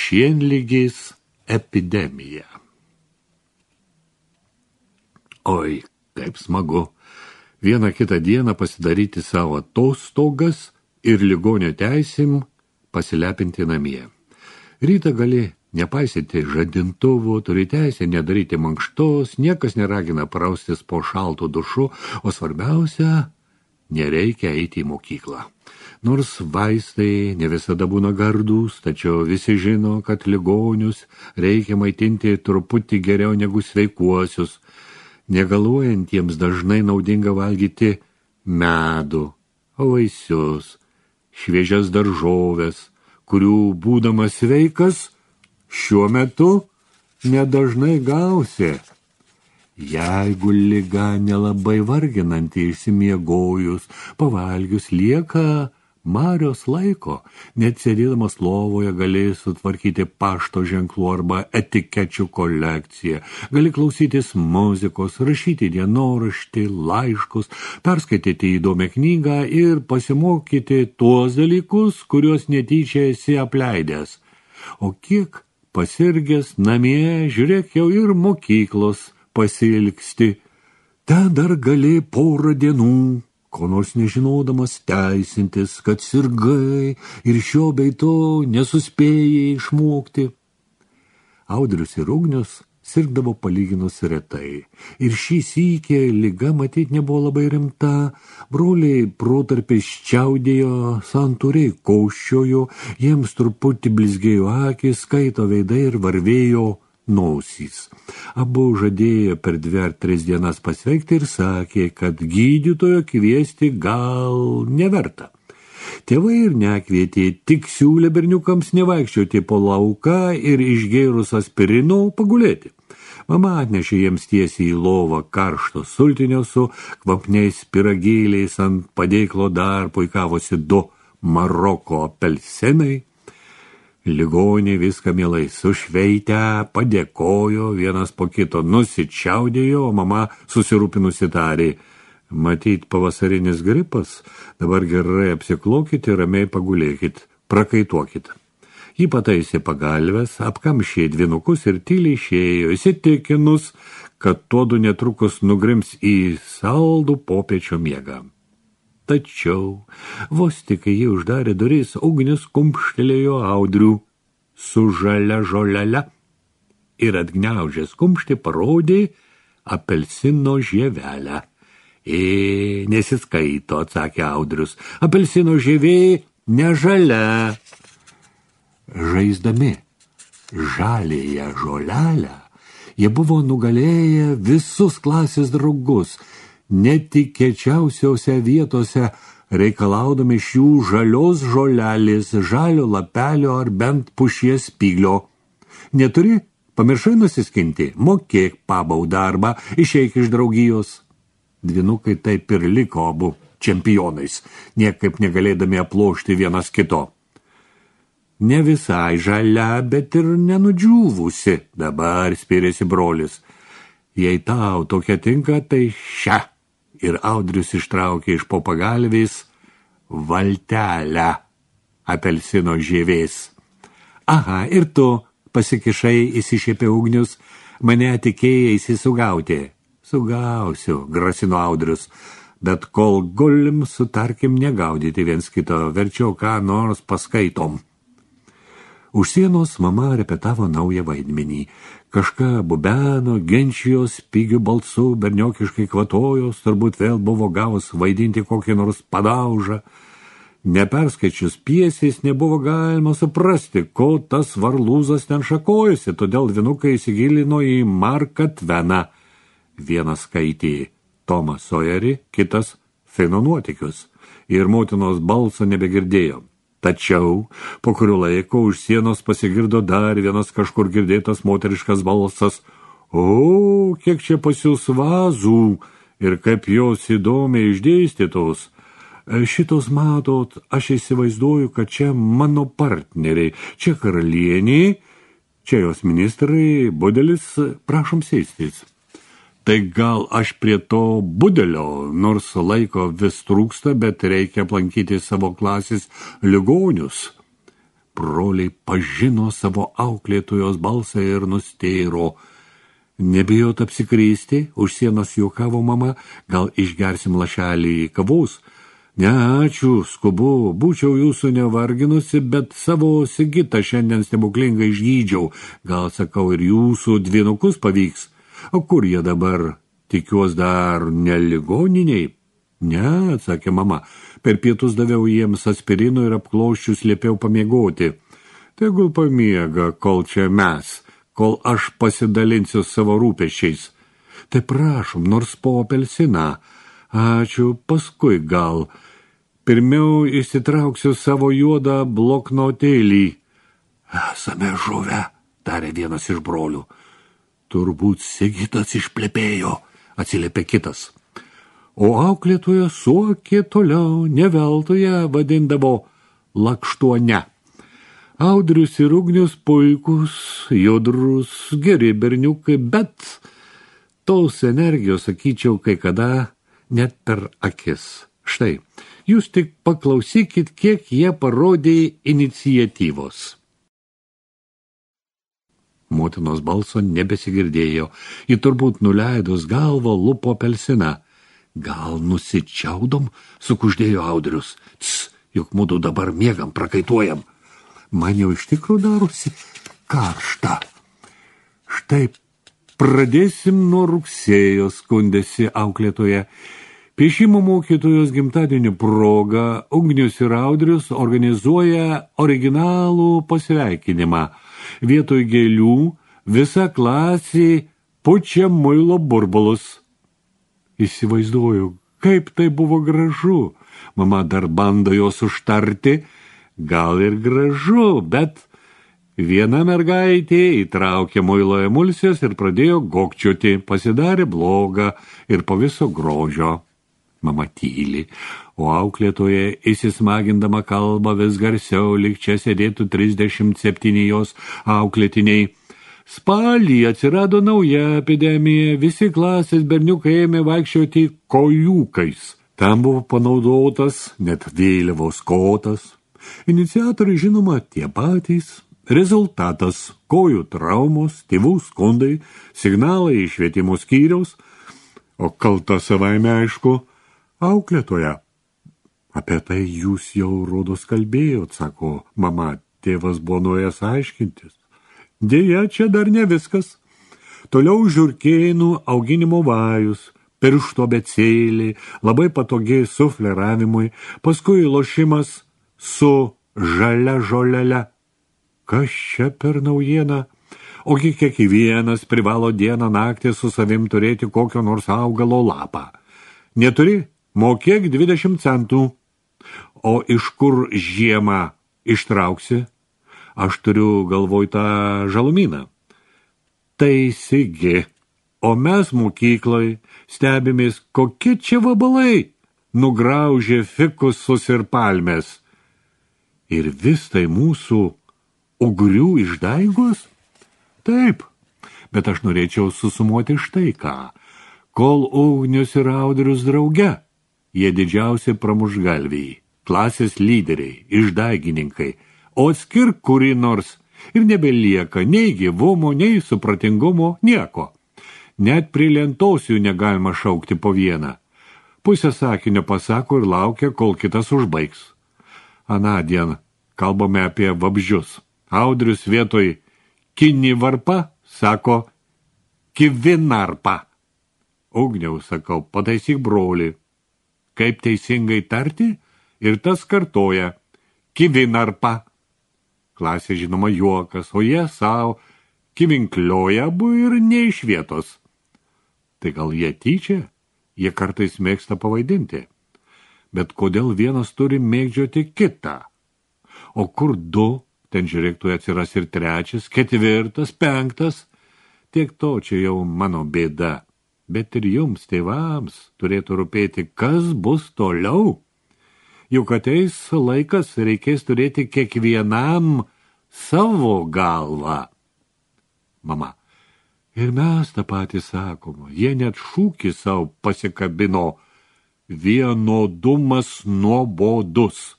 šienligės epidemija. Oi, kaip smagu. Vieną kitą dieną pasidaryti savo atostogas ir ligonio teisėm pasilepinti namie. Rytą gali nepaisyti žadintuvo, turi teisę nedaryti mankštos, niekas neragina praustis po šaltų dušu, o svarbiausia, nereikia eiti į mokyklą. Nors vaistai ne visada būna gardūs, tačiau visi žino, kad ligonius reikia maitinti truputį geriau negu sveikuosius. Negaluojantiems dažnai naudinga valgyti medų, vaisius, šviežias daržoves, kurių būdamas sveikas šiuo metu nedažnai gausi. Jeigu liga nelabai varginanti išsimiegojus, pavalgius lieka marios laiko, net sėdėdamas lovoje gali sutvarkyti pašto ženklų arba etikečių kolekciją, gali klausytis muzikos, rašyti dienoraštį, laiškus, perskaityti įdomią knygą ir pasimokyti tuos dalykus, kuriuos netyčia esi apleidęs. O kiek pasirgęs namie, žiūrėk, jau ir mokyklos pasilgsti. Ten dar gali porą dienų, ko nors nežinodamas teisintis, kad sirgai ir šio bei to nesuspėjai išmokti. Audrius ir Ugnius sirgdavo palyginus retai. Ir šį sykį liga matyt nebuvo labai rimta. Broliai protarpiais čiaudėjo, santūriai kauščiojo, jiems truputį blizgėjo akis, skaito veidai ir varvėjo nosys. Abu žadėjo per 2 ar 3 dienas pasveikti ir sakė, kad gydytojo kviesti gal neverta. Tėvai ir nekvietė, tik siūlė berniukams nevaikščioti po lauką ir išgėrus aspirino pagulėti. Mama atnešė jiems tiesiai į lovą karšto sultinio su kvapniais pyragėliais, ant padėklo dar puikavosi 2 Maroko apelsinai. Ligoniai viską mielai sušveitę, padėkojo, vienas po kito nusičiaudėjo, o mama susirūpinusi tarė: matyt, pavasarinis gripas, dabar gerai apsiklokit ir ramiai pagulėkit, prakaituokit. Ji pataisė pagalves, apkamšė dvynukus ir tyliai išėjo, įsitikinus, kad tuodu netrukus nugrims į saldų popiečio miegą. Tačiau, vos tik jį uždarė duris, Ugnius kumštelėjo Audrių su žalia žolele ir atgniaužęs kumštį parodė apelsino žievelę. Nesiskaito, atsakė Audrius, apelsino žievė ne žalia. Žaisdami žalėje žolelę, jie buvo nugalėję visus klasės draugus, netikėčiausiose vietose reikalaudami šių žalios žolelės, žalio lapelio ar bent pušies spyglio. Neturi? Pamiršai nusiskinti? Mokėk pabaudą arba išeik iš draugijos. Dvynukai taip ir liko abu čempionais, niekaip negalėdami aplošti vienas kito. Ne visai žalia, bet ir nenudžiūvusi, dabar spyrėsi brolis. Jei tau tokia tinka, tai šią. Ir Audrius ištraukė iš po pagalvės valtelę apelsino žievės. Aha, ir tu, pasikišai, įsišiepė Ugnius, mane tikėjaisi sugauti. Sugausiu, grasino Audrius, bet kol gulim, sutarkim negaudyti viens kito, verčiau ką nors paskaitom. Už sienos mama repetavo naują vaidmenį. Kažką bubeno, ginčijos, pigių balsų, berniokiškai kvatojos, turbūt vėl buvo gavus vaidinti kokį nors padaužą. Neperskaičius pjesės nebuvo galima suprasti, ko tas varlūzas ten šakojasi, todėl dvynukai įsigilino į Marką Tveną. Vienas skaitė Tomą Sojerį, kitas Fino nuotykius, ir motinos balso nebegirdėjo. Tačiau po kurio laiko už sienos pasigirdo dar vienas kažkur girdėtas moteriškas balsas. O, kiek čia pas jūs vazų ir kaip jos įdomiai išdėstytos. Šitos matot, aš įsivaizduoju, kad čia mano partneriai, čia karalienė, čia jos ministrai, budelis, prašom sėstis. Tai gal aš prie to budelio, nors laiko vis trūksta, bet reikia aplankyti savo klasės ligonius. broliai pažino savo auklėtojos balsą ir nustėro. Nebijot apsikrysti, už sienos juokavo mama, gal išgersim lašelį kavos? Ne, ačiū, skubu, būčiau jūsų nevarginusi, bet savo Sigitą šiandien stebuklingai išgydžiau. Gal, sakau, ir jūsų dvynukus pavyks. O kur jie dabar? Tikiuos dar ne ligoniniai? Ne, atsakė mama. Per pietus daviau jiems aspirino ir apklauščius liepiau pamiegoti. Tegul pamiega, kol čia mes, kol aš pasidalinsiu savo rūpesčiais. Tai prašom, nors po apelsiną. Ačiū, paskui gal. Pirmiau išsitrauksiu savo juodą bloknotėlį. Esame žuvę, tarė vienas iš brolių. Turbūt Sigitas išplepėjo, atsiliepė kitas. O auklėtoja suokė toliau, neveltoje vadindavo lakštuone. Audrius ir Ugnius puikus, judrus, geri berniukai, bet tos energijos, sakyčiau, kai kada net per akis. Štai, jūs tik paklausykit, kiek jie parodė iniciatyvos. Motinos balso nebesigirdėjo, ji turbūt nuleidus galvą lupo apelsiną. Gal nusičiaudom, sukuždėjo Audrius. Juk mudu dabar miegam, prakaituojam. Man jau iš tikrųjų darosi karšta. Štai pradėsim nuo rugsėjo, skundėsi auklėtoja. Piešimo mokytojos gimtadienio proga Ugnius ir Audrius organizuoja originalų pasveikinimą. Vietoj gėlių visa klasė pučia muilo burbulus. Įsivaizduoju, kaip tai buvo gražu. Mama dar bando jos užtarti, gal ir gražu, bet viena mergaitė įtraukė muilo emulsijas ir pradėjo gokčioti, pasidarė blogą ir po viso grožio. Mama tyli, o auklėtoje įsismagindama kalbą vis garsiau, lyg čia sėdėtų 37 jos auklėtiniai. Spalį atsirado nauja epidemija, visi klasės berniukai ėmė vaikščioti kojūkais. Tam buvo panaudotas net vėliavos kotas. Iniciatoriai žinoma tie patys. Rezultatas – kojų traumos, tėvų skundai, signalai iš švietimo skyriaus, o kalta savaime aišku auklėtoja. Apie tai jūs jau rodos kalbėjot, sako mama, tėvas buvo nuėjęs aiškintis. Deja, čia dar ne viskas. Toliau žiurkėnų auginimo vajus, piršto abėcėlė, labai patogiai sufleravimui, paskui lošimas su žalia žolele. Kas čia per naujieną? Ogi kiekvienas privalo dieną naktį su savim turėti kokio nors augalo lapą. Neturi? Mokėk 20 centų. O iš kur žiemą ištrauksi? Aš turiu galvoj tą žalumyną. Taisigi, o mes mokyklai stebimės, kokie čia vabalai nugraužė fikusus ir palmės. Ir vis tai mūsų ugrių išdaigos? Taip, bet aš norėčiau susumuoti štai ką. Kol Ugnius ir Audrius drauge, jie didžiausi pramuštgalviai, klasės lyderiai, išdaigininkai, o atskirk kurį nors ir nebelieka nei gyvumo, nei supratingumo, nieko. Net prie lentos jų negalima šaukti po vieną. Pusę sakinio pasako ir laukia, kol kitas užbaigs. Anądien kalbame apie vabzdžius. Audrius vietoj kinivarpa sako kivinarpa. Ugniau, sakau, pataisyk brolį. Kaip teisingai tarti? Ir tas kartoja kivinarpa. Klasė žinoma juokas, o jie savo kivinklioja abu ir ne iš vietos. Tai gal jie tyčia? Jie kartais mėgsta pavaidinti. Bet kodėl vienas turi mėgdžioti kitą? O kur du? Ten žiūrėk, atsiras ir trečias, ketvirtas, penktas. Tiek to čia jau mano bėda. Bet ir jums, tėvams, turėtų rūpėti, kas bus toliau. Juk ateis laikas, reikės turėti kiekvienam savo galvą. Mama, ir mes tą patį sakom, jie net šūkį savo pasikabino: vienodumas nuobodus.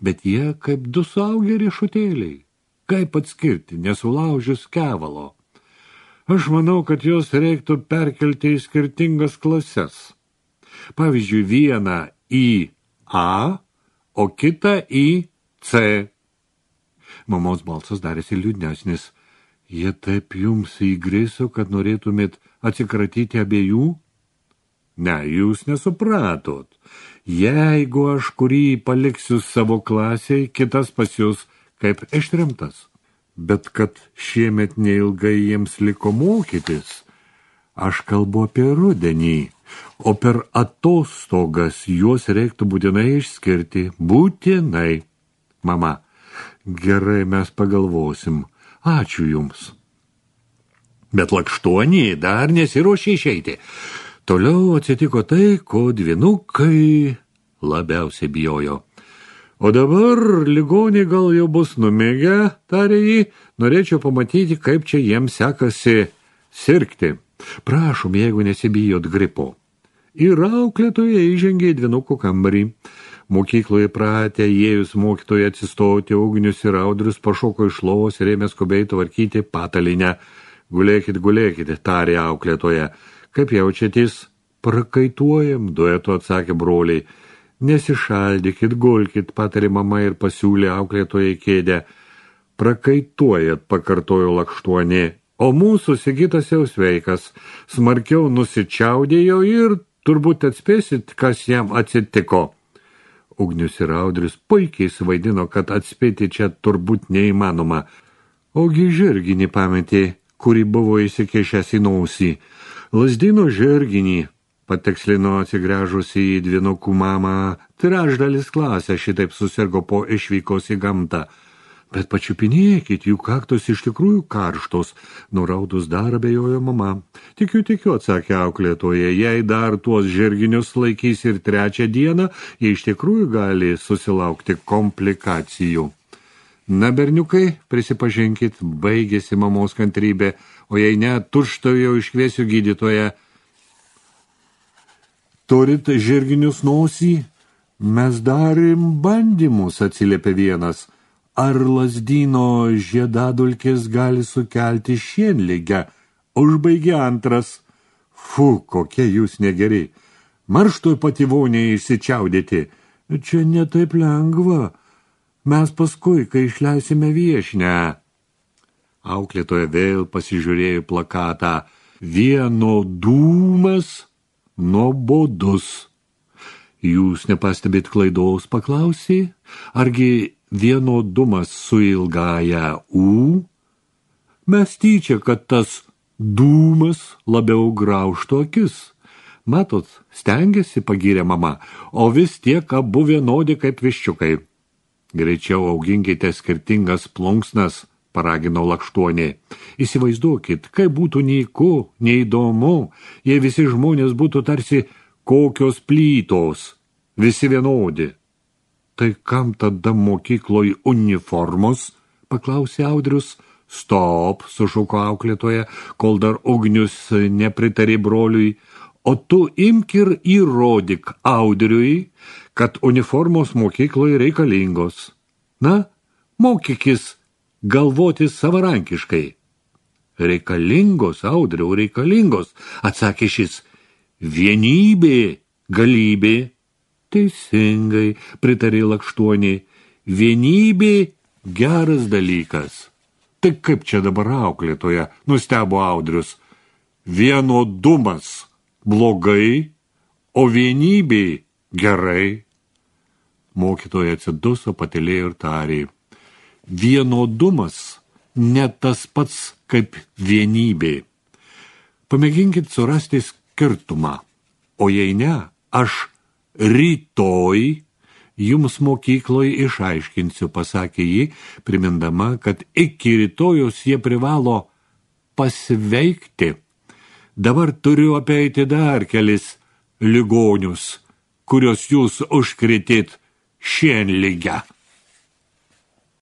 bet jie kaip du suaugę riešutėliai. Kaip atskirti, nesulaužius kevalo? Aš manau, kad jos reiktų perkelti į skirtingas klases. Pavyzdžiui, vieną į A, o kitą į C. Mamos balsas darėsi liūdnesnis. Jie taip jums įgriso, kad norėtumėt atsikratyti abiejų? Ne, jūs nesupratot. Jeigu aš kurį paliksiu savo klasiai, kitas pas jūs kaip ištremtas. Bet kad šiemet neilgai jiems liko mokytis, aš kalbu apie rudenį, o per atostogas juos reiktų būtinai išskirti. Būtinai. Mama, gerai, mes pagalvosim. Ačiū jums. Bet Lakštuonė dar nesiruošė išeiti. Toliau atsitiko tai, ko dvynukai labiausiai bijojo. O dabar ligoniai gal jau bus numėgę, tarė jį, norėčiau pamatyti, kaip čia jiems sekasi sirgti. Prašom, jeigu nesibijot gripo. Ir auklėtoja įžengė į dvynukų kambarį. Mokykloje pratę, įėjus mokytoje atsistoti, Ugnius ir Audrius pašoko iš lovos ir ėmė skubiai tvarkyti patalinę. Gulėkit, tarė auklėtoja. Kaip jaučiatės? Prakaituojam, duetu atsakė broliai. Nesišaldykit, gulkit, patarė mama ir pasiūlė auklėtoje kėdę. Prakaituojat, pakartojo Lakštuonė, o mūsų Sigitas jau sveikas. Smarkiau nusičiaudėjo ir turbūt atspėsit, kas jam atsitiko. Ugnius ir Audrius puikiai suvaidino, kad atspėti čia turbūt neįmanoma. Ogi žirginį pametė, kurį buvo įsikešęs į nosį. Lazdino žirginį, patikslino atsigręžusi į dvynukų mamą, trečdalis klasė šitaip susirgo po išvykos į gamtą. Bet pačiupinėkit, jų kaktos iš tikrųjų karštos, nuraudus dar abejojo mama. Tikiu, atsakė auklėtoja, jei dar tuos žirginius laikys ir trečią dieną, jie iš tikrųjų gali susilaukti komplikacijų. Na, berniukai, prisipažinkit, baigėsi mamos kantrybė, o jei ne, tučtuojau iškviesiu gydytoją. Turit žirginius nosį? Mes darėm bandymus, atsiliepė vienas. Ar Lazdyno žiedadulkės gali sukelti šienligę? Užbaigė antras. Fu, kokie jūs negeri. Marštoj pati vonė išsičiaudėti. Čia netaip lengva. Mes paskui, kai išleisime viešinę. Auklėtoja vėl pasižiūrėjo plakatą. Vienodūmas, nuobodus. Jūs nepastebėt klaidos, paklausė? Argi vienodumas su ilgaja U? Mes tyčia, kad tas dūmas labiau graužtų akis. Matot, stengiasi, pagyrė mama, o vis tiek abu vienodi kaip viščiukai. Greičiau auginkite skirtingas plunksnas, paragino Lakštuonė. Įsivaizduokit, kaip būtų nyku, neįdomu, jei visi žmonės būtų tarsi kokios plytos, visi vienodi. Tai kam tada mokykloj uniformos? Paklausė Audrius. Stop, sušuko auklėtoja, kol dar Ugnius nepritarė broliui. O tu imk ir įrodyk Audriui, kad uniformos mokykloje reikalingos. Na, mokykis galvoti savarankiškai. Reikalingos, Audriau, reikalingos, atsakė šis. Vienybė, galybė. Teisingai, pritarė Lakštuonė, vienybė geras dalykas. Tai kaip čia dabar auklėtoja, nustebo Audrius. Vienodumas blogai, o vienybė gerai. Mokytoja atsiduso, patylėjo ir tarė. Vienodumas ne tas pats kaip vienybė. Pamėginkit surasti skirtumą, o jei ne, aš rytoj jums mokykloj išaiškinsiu, pasakė ji, primindama, kad iki rytojus jie privalo pasveikti. Dabar turiu apeiti dar kelis ligonius, kurios jūs užkritėt šienligę.